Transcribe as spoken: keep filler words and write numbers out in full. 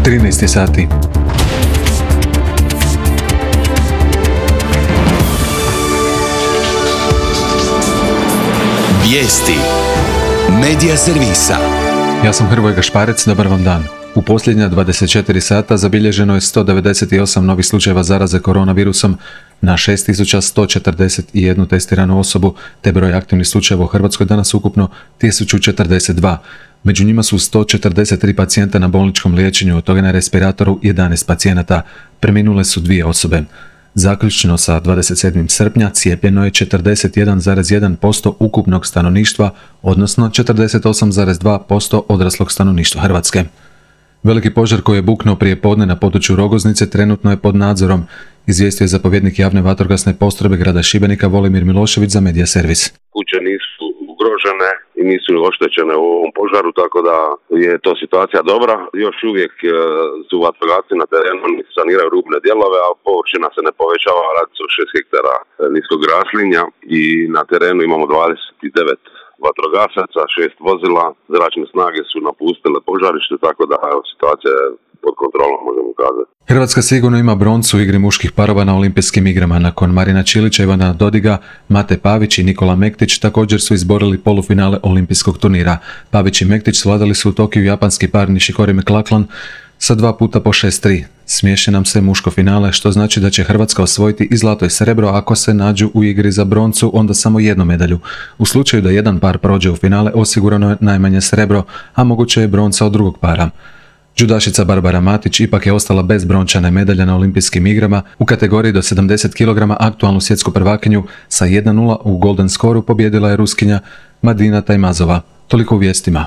trinaest sati. Vijesti Medija servisa. Ja sam Hrvoje Gašparec, dobar vam dan. U posljednja dvadeset četiri sata zabilježeno je sto devedeset osam novih slučajeva zaraze koronavirusom na šest tisuća sto četrdeset jedan testiranu osobu, te broj aktivnih slučajeva u Hrvatskoj danas ukupno tisuću četrdeset dva. Među njima su sto četrdeset tri pacijenta na bolničkom liječenju, od toga na respiratoru jedanaest pacijenata. Preminule su dvije osobe. Zaključno sa dvadeset sedmog srpnja cijepljeno je četrdeset jedan zarez jedan posto ukupnog stanovništva, odnosno četrdeset osam zarez dva posto odraslog stanovništva Hrvatske. Veliki požar koji je buknuo prije podne na području Rogoznice trenutno je pod nadzorom, izvijestio je zapovjednik javne vatrogasne postrojbe grada Šibenika Volimir Milošević za Medija servis. Kuće nisu ugrožene i nisu oštećene u ovom požaru, tako da je to situacija dobra. Još uvijek su vatrogasci na terenu, saniraju rubne dijelove, a površina se ne povećava, radi se o šest hektara niskog raslinja i na terenu imamo dvadeset devet vatrogasaca, šest vozila, zračne snage su napustile požarište, tako da situacija je pod kontrolom, možemo kazati. Hrvatska sigurno ima broncu u igri muških parova na olimpijskim igrama. Nakon Marina Čilića, Ivana Dodiga, Mate Pavić i Nikola Mektić također su izborili polufinale olimpijskog turnira. Pavić i Mektić svladali su u Tokiju japanski par Nishikori McLachlan sa dva puta po šest tri. Smiješi nam se muško finale, što znači da će Hrvatska osvojiti i zlato i srebro, ako se nađu u igri za broncu, onda samo jednu medalju. U slučaju da jedan par prođe u finale, osigurano je najmanje srebro, a moguće je bronca od drugog para. Džudašica Barbara Matić ipak je ostala bez brončane medalje na olimpijskim igrama. U kategoriji do sedamdeset kilograma aktualnu svjetsku prvakinju sa jedan nula u golden skoru pobijedila je Ruskinja Madina Tajmazova. Toliko u vijestima.